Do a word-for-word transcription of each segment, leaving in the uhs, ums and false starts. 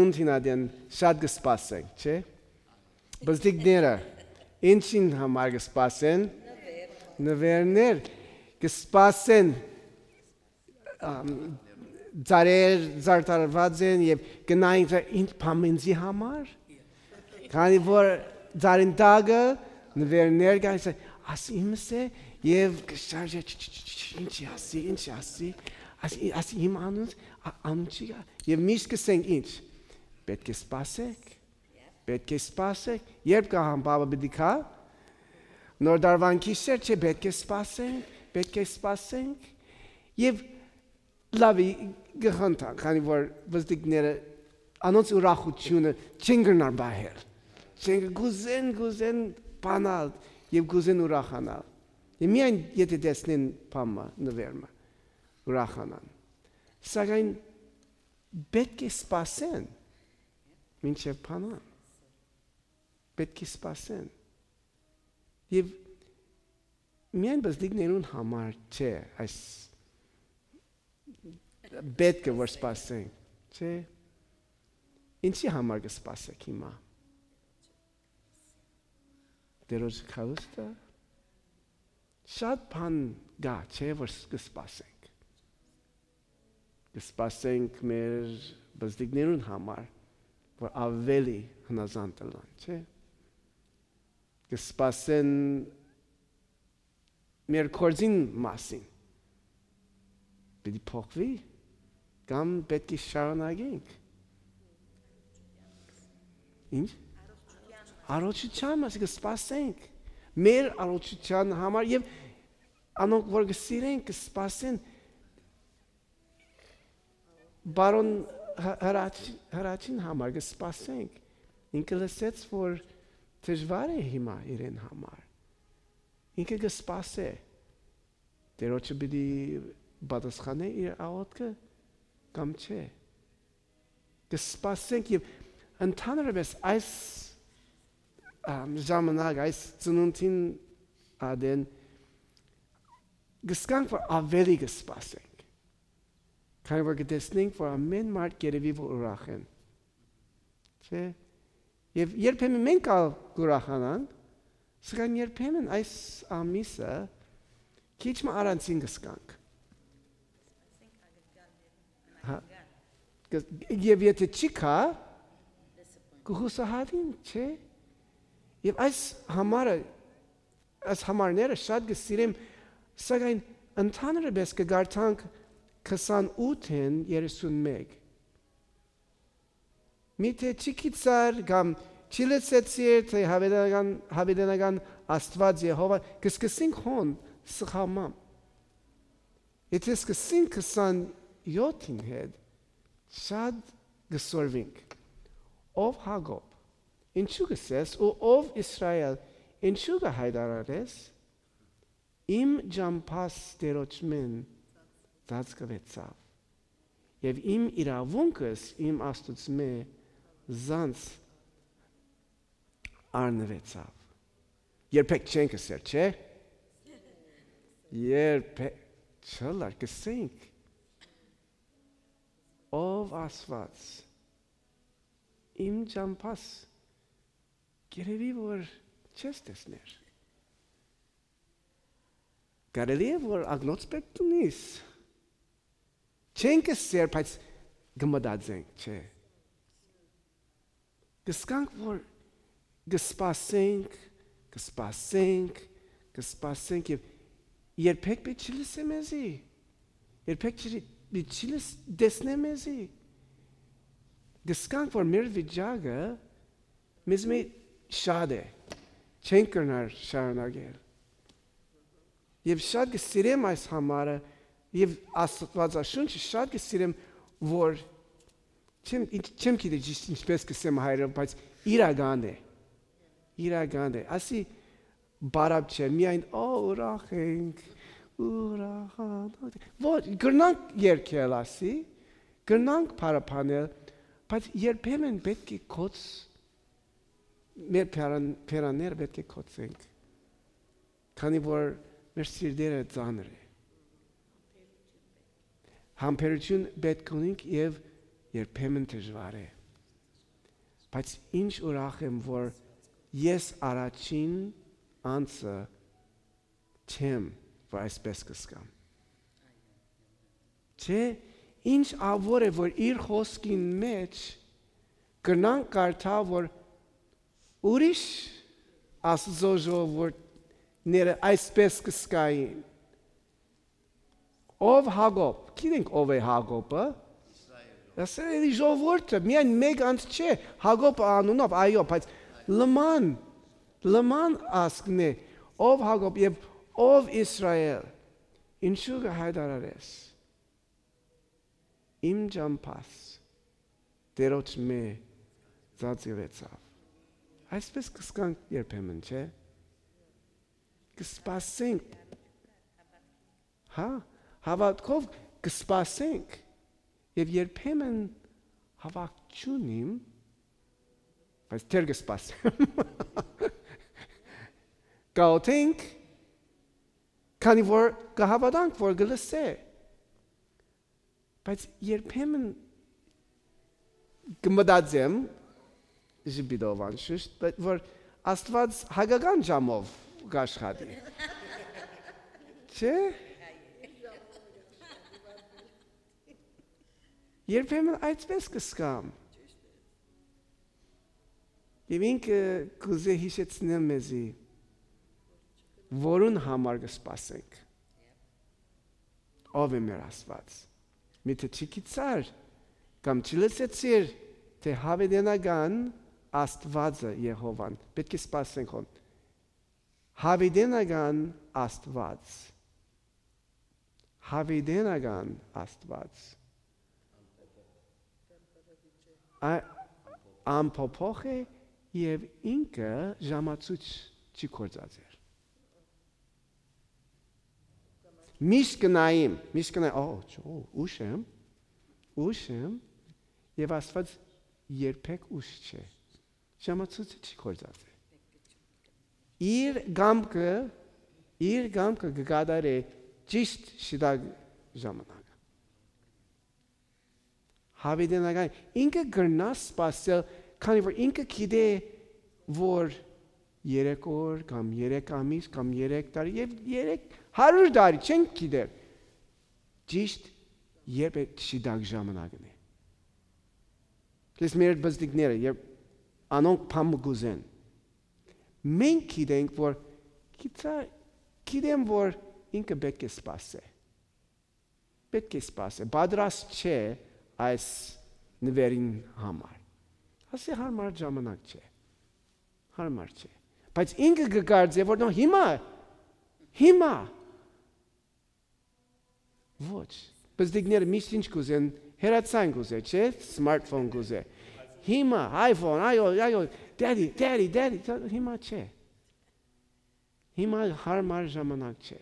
Ուն դինատեն շատ կը սպասենք, չէ՞։ Բզդիկները ինչին համար կը սպասեն։ Նվերներ կը սպասեն, ամ, ծառեր զարդարված են եւ կը նայեն, ինչ բան ինձի համար, քանի որ ծառին տակը նվերներ կան, ասի իմս է, եւ կը շարժէ, «Չի, չի, չի, չի, ինչի ասի, ինչի ասի, ասի, ասի իմ անունս, ա-, անուն չի գա»։ Եւ միշտ կ'ըսենք ինչ. «Պէտք է սպասեք, պէտք է սպասեք»։ Երբ կը հան պապը պիտի գայ, նոր տարուան գիշեր, չէ՞, պէտք է սպասենք, պէտք է սպասենք։ Եւ լաւի կը խնդան, քանի որ բզդիկները, անոնց ուրախութիւնը չեն կրնար պահել։ Չեն կը-, կ'ուզեն, կ'ուզեն բանալ եւ կ'ուզեն ուրախանալ։ Եւ միայն եթե տեսնեն բան մը, նուէր մը, ուրախանան։ Սակայն պէտք է սպասեն մինչեւ բանան։ Պէտք է սպասեն։ Եւ միայն բզդիկներուն համար չէ այս պէտքը որ սպասենք, չէ՞։ Ինչի համար կը սպասեք հիմա։ Տերոջ գալուստը։ Շատ բան կա, չէ՞, որ ս-, կը սպասենք։ Կը սպասենք մեր բզդիկներուն համար, որ աւելի հնազանդ ըլլան, չէ՞։ Կը սպասեն մեր գործին մասին։ Պիտի փոխվի, կամ պէտք է շարունակենք։ Ինչ։ Առողջության մասին կը սպասենք, մեր առողջության համար, եւ անոնք որ կը սիրենք, կը սպասեն բարոն Հ-, Հրաչ-, Հրաչին համար կը սպասենք։ Ինքը լսեց որ դժուար է հիմա իրեն համար։ Ինքը կը սպասէ, Տերոջը պիտի պատասխանէ իր աղօթքը կամ չէ։ Կը սպասենք, եւ ընդհանրապես այս, ամ, ժամանակ, այս ծնունդին ատեն կը զգանք որ աւելի կը սպասենք, քանի որ կը տեսնենք որ ամէն մարդ կ'երեւի որ ուրախ են, չէ՞։ Եւ երբեմն մենք ալ կ'ուրախանանք, սակայն երբեմն այս ամիսը քիչ մը առանձին կը զգանք։ Հա, կը-, եւ եթե չի գայ, կը յուսահատին, չէ՞։ Եւ այս համարը, այս համարները շատ կը սիրեմ, սակայն ընդհանրապես կը կարդանք քսանութ են երեսունմեկ։ Միթէ չի գիտցար կամ չի լսեցիր, թէ յաւիտենական, յաւիտենական Աստուած Եհովա, կը սկսենք հոն սխամամ։ Եթե սկսենք քսանյոթին հետ, շատ կը սորվինք։ Ով Յակոբ, ինչու կ'ըսես, ու ով Իսրայէլ, ինչու կը յայտարարես, իմ ճամբաս Տերոջմէն ծածկուեցաւ, եւ իմ իրաւունքս իմ Աստուծմէ զանց առնուեցաւ։ Երբեք չենք ըսեր, չէ՞։ Երբեք, չըլլար, կ'ըսենք. «Ով Աստուած, իմ ճամբաս կ'երեւի որ չես տեսներ»։ Կարելի է որ ակնոց պէտք դունիս։ Չենք ըսեր, բայց կը մտածենք, չէ՞։ Կը զգանք որ կը սպասենք, կը սպասենք, կը սպասենք, եւ երբեք պէտք չի լսե մեզի, երբեք չի, պէտք չի լս-, տեսնե մեզի։ Կը զգանք որ մեր վիճակը մեզմէ շատ է, չենք կրնար շարունակել։ Եւ շատ կը սիրեմ այս համարը, եւ Աստուածաշունչը շատ կը սիրեմ, որ չեմ, ինչ, չեմ գիտի ճիշտ ինչպես կ'ըսեմ հայերով, բայց իրական է, իրական է։ Ասի բարապ չէ, միայն, «Ա, ուրախ ենք, ուրախանոց ենք»։ Ոչ, կրնանք երգել, ասի, կրնանք փառաբանել, բայց երբեմն պէտք է կոց, մեր փերանները պէտք է կոծենք, քանի որ մեր սիրտերը ծանր է։ Համբերություն պէտք ունենք եւ երբեմն դժուար է։ Բայց ինչ ուրախ եմ, որ ես առաջին անձը չեմ, որ այսպես կ'զգամ։ Չէ, ինչ ավոր է, որ իր խօսքին մէջ կրնանք կարդալ, որ ուրիշ Աստուծոյ ժողովուրդները այսպես կ'զգային։ Ով Յակոբ, գիտենք ով է Յակոբը, Իսրայէլի ժողովուրդը, միայն մէկ անձ չէ, Յակոբը անունով, այո, բայց լման, լման ազգն է, ով Յակոբ եւ ով Իսրայէլ, ինչու կը հայտարարես իմ ճամբաս Տէրոջ մէ ծածկուեցաւ։ Այսպես կ'զգանք երբեմն, չէ՞։ Կը սպասենք, հա, հաւատքով կը սպասենք եւ երբեմն հաւատք չունիմ, բայց դեռ կը սպասեմ։ Կ'աղօթենք, քանի որ կը հաւատանք, որ կը լսէ։ Բայց երբեմն կը մտածեմ, ժպիտով անշուշտ, բայց որ Աստուած հակական ժամով կ'աշխատի։ Չէ՞։ Երբեմն այսպես կ'զգամ։ Եւ ինքը կ'ուզէ յիշեցնել մեզի, որուն համար կը սպասենք։ Ո՞վ է մեր Աստուած։ Միթէ չգիտցար կամ չլսեցիր, թէ յաւիտենական Աստուածը Եհովան։ Պէտք է սպասենք հոն։ Յաւիտենական Աստուած։ Յաւիտենական Աստուած։ Ա-, անփոփոխ է եւ ինքը ժամացոյց չի գործածեր։ Միշտ կը նայեմ, միշտ կը նայեմ, «Ա, չո, ուշ եմ, ուշ եմ», եւ Աստուած երբեք ուշ չէ։ Ժամացոյցը չի գործածեր։ Իր կամքը, իր կամքը կը կատարէ ճիշտ շիտակ ժամանակը։ Յաւիտենական, ինքը կրնայ սպասել, քանի որ ինքը գիտէ, որ երեք օր կամ երեք ամիս կամ երեք տարի եւ երեք հարիւր տարի չենք գիտեր, ճիշտ երբ է շիտակ ժամանակն է։ Ես մեր բզդիկները, երբ անոնք բան մը կ'ուզեն, մենք գիտենք, որ գիտա-, գիտեմ, որ ինքը պէտք է սպասէ։ Պէտք է սպասէ, պատրաստ չէ այս նուէրին համար։ Ասի, հարմար ժամանակ չէ, հարմար չէ։ Բայց ինքը կը կարծէ, որ նո, հիմա, հիմա, ոչ։ Բզդիկները միշտ ինչ կ'ուզեն, հեռացան կ'ուզէ, չէ՞, սմարթֆոն կ'ուզէ։ Հիմա, iPhone, այո, այո, daddy, daddy, daddy, հիմա չէ։ Հիմա հարմար ժամանակ չէ։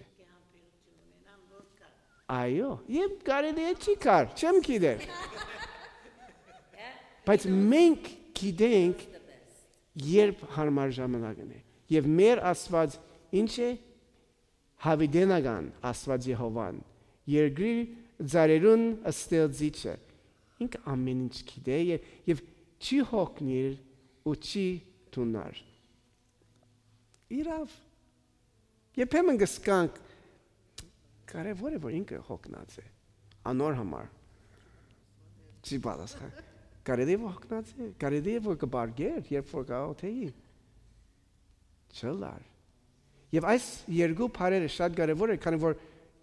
Այո, եւ կարելի է չի կար, չեմ գիտեր։ Բայց մենք գիտենք, երբ հարմար ժամանակն է։ Եւ մեր Աստուած ինչ է, յաւիտենական Աստուած Եհովան, երկրի ծառերուն ստեղծիչը, ինքը ամեն ինչ գիտէ եւ, եւ չի հոգնիր ու չի թունար։ Իրաւ, երբեմն կ'սկանք, կարեւոր է, որ ինքը հոգնած է, անոր համար չի պատասխան։ Կարելի է, որ հոգնած է, կարելի է, որ կը բարգեր, երբ որ կաղոթեի։ Չլար։ Եւ այս երկու բառերը շատ կարեւոր է, քանի որ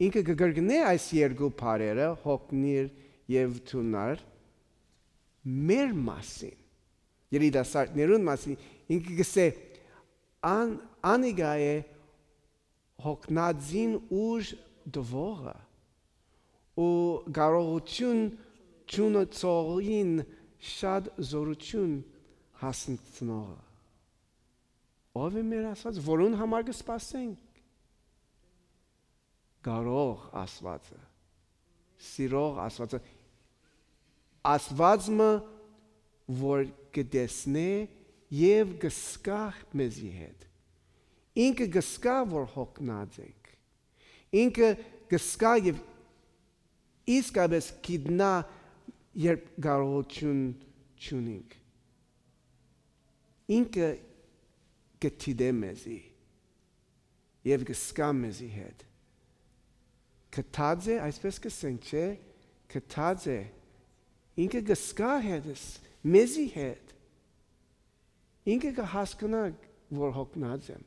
ինքը կը կրկնէ այս երկու բառերը, հոգնիր եւ թունար, մեր մասին, երիտասարդներուն մասին, ինքը կ'ըսէ, «Ան-, անիկա է հոգնածին ուժ տուողը ու կարողութիւն չունեցողին շատ զօրութիւն հասցնողը»։ Ո՞վ է մեր Աստուած, որուն համար կը սպասենք։ Կարող Աստուածը, սիրող Աստուածը, Աստուած մը, որ կը տեսնէ եւ կը զգայ մեզի հետ։ Ինքը կը զգայ, որ հոգնած ենք։ Ինքը կը զգայ եւ իսկապես գիտնայ, երբ կարողութիւն չունինք։ Ինքը կը դիտէ մեզի եւ կը զգայ մեզի հետ։ Գթած է, այսպես կ'ըսենք, չէ՞, գթած է։ Ինքը կը զգայ հետս, մեզի հետ։ Ինքը կը հասկնայ, որ հոգնած եմ,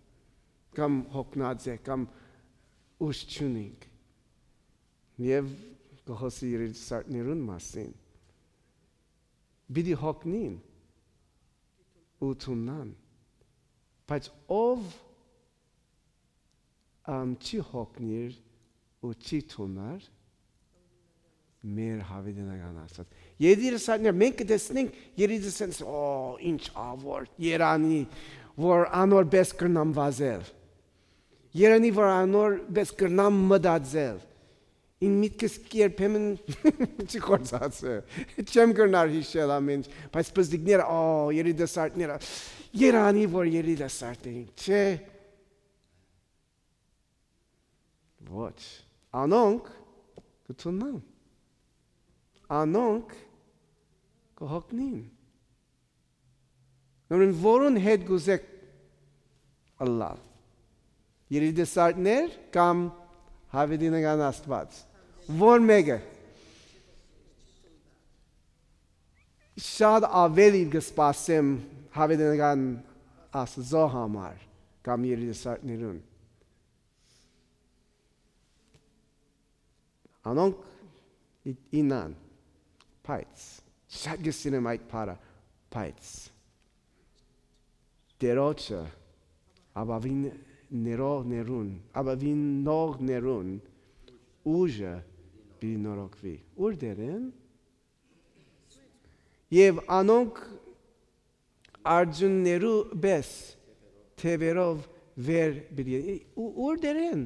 կամ հոգնած է, կամ ուժ չունինք։ Եւ կը խօսի երիտասարդներուն մասին։ Պիտի հոգնին ու թուննան, բայց ով, ամ, չի հոգնիր ու չի թուննար, մեր յաւիտենական Աստուած։ Երիտասարդներ, մենք կը տեսնենք երիտասարդներ, «Ո, ինչ ա որ երանի, որ անոր պես կրնամ վազել։ Երանի, որ անոր պես կրնամ մտածել։ Իմ միտքս երբեմն չի գործածը։ Չեմ կրնար յիշել ամեն ինչ, բայց պզտիկները, ո, երիտասարդները, երանի, որ երիտասարդ էինք, չէ՞»։ Ոչ։ Անոնք կը թուննան։ Անոնք կը հոգնին։ Ուրեմն որուն հետ կ'ուզէք ըլլալ։ Երիտասարդներ կամ յաւիտենական Աստուած։ Որ մէկը։ Շատ աւելի կը սպասեմ յաւիտենական Աստուծոյ համար կամ երիտասարդներուն։ Անոնք ի-, ինան, բայց շատ կը սիրեմ այդ բառը, բայց Տերոջը ապաւին ներողներուն, ապաւինողներուն ուժը պիտի նորոգուի։ Ո՞ւր դերեն։ Եւ անոնք արծուններու պէս թեւերով վեր պիտի, ու ո՞ւր դերեն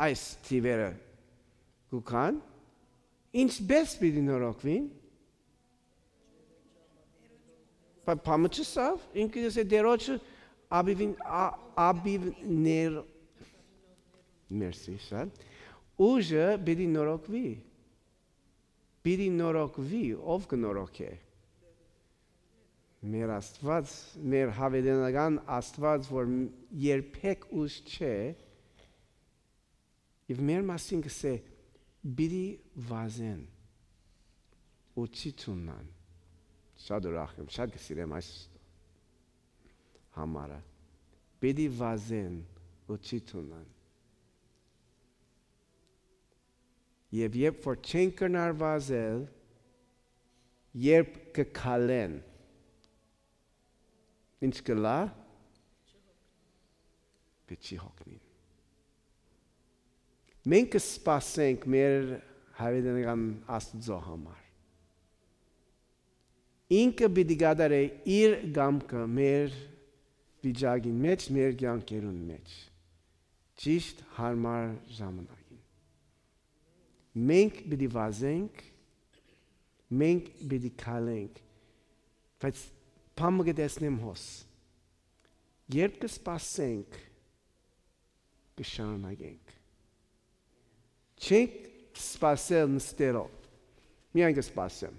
այս թիվերը կու գան, ինչպէս պիտի նորոգուին։ Բա, բամը չսավ, ինքը ըսէ Տերոջը աբիվին, ա-, աբիվներ, մերսի, շատ, ուժը պիտի նորոգուի, պիտի նորոգուի, ով կը նորոգէ։ Մեր Աստուած, մեր յաւիտենական Աստուած, որ երբեք ուժ չէ, եւ մեր մասին կ'ըսէ, պիտի վազեն ու չի թուննան։ Շատ ուրախ եմ, շատ կը սիրեմ այս համարը։ Պիտի վազեն ու չի թուննան։ Եւ երբ որ չեն կրնար վազել, երբ կը քալեն, ինչ կ'ըլլայ, պիտի չի հոգնին։ Մենք կը սպասենք մեր յաւիտենական Աստուծոյ համար։ Ինքը պիտի կատարէ իր կամքը մեր վիճակին մէջ, մեր կեանքերուն մէջ, ճիշդ յարմար ժամանակին։ Մենք պիտի վազենք, մենք պիտի քալենք, բայց բան մը կը տեսնեմ հոս։ Երբ կը սպասենք, կը շարունակենք։ Չենք սպասել նստելով։ Միայն կը սպասեմ։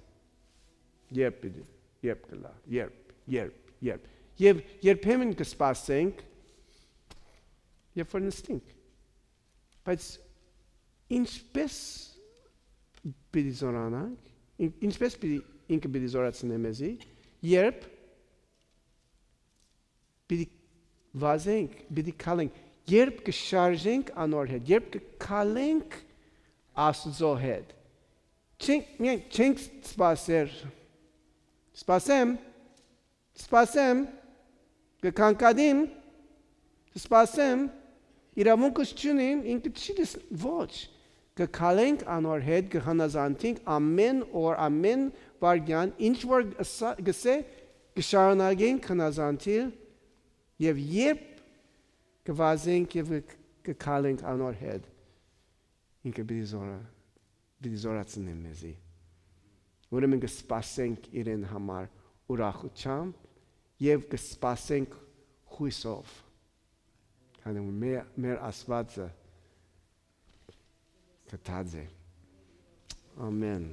Երբ պիտի, երբ կ'ըլլայ, երբ, երբ, երբ։ Եւ երբեմն կը սպասենք, երբ որ նստենք։ Բայց ինչպէս պիտի զօրանանք, ին-, ինչպէս պիտի, ինքը պիտի զօրացնէ մեզի, երբ պիտի վազենք, պիտի քալենք, երբ կը շարժենք անոր հետ, երբ կը քալենք Աստուծոյ հետ, չենք, միայն չենք սպասեր, սպասեմ, սպասեմ, կը կանգատիմ, սպասեմ, իրաւունքս չունիմ, ինքը չի դես-, ոչ, կը քալենք անոր հետ, կը հնազանդենք ամեն օր, ամեն վայրկեան, ինչ որ ըսա-, կ'ըսէ, կը շարունակենք հնազանդիլ, եւ երբ կը վազենք եւ կը, կը քալենք անոր հետ, ինքը պիտի զորա-, պիտի զորացնի մեզի։ Ուրեմն կը սպասենք իրեն համար ուրախութեամբ եւ կը սպասենք յուսով, քանի որ մեր, մեր Աստուածը գթած է։ Ամեն։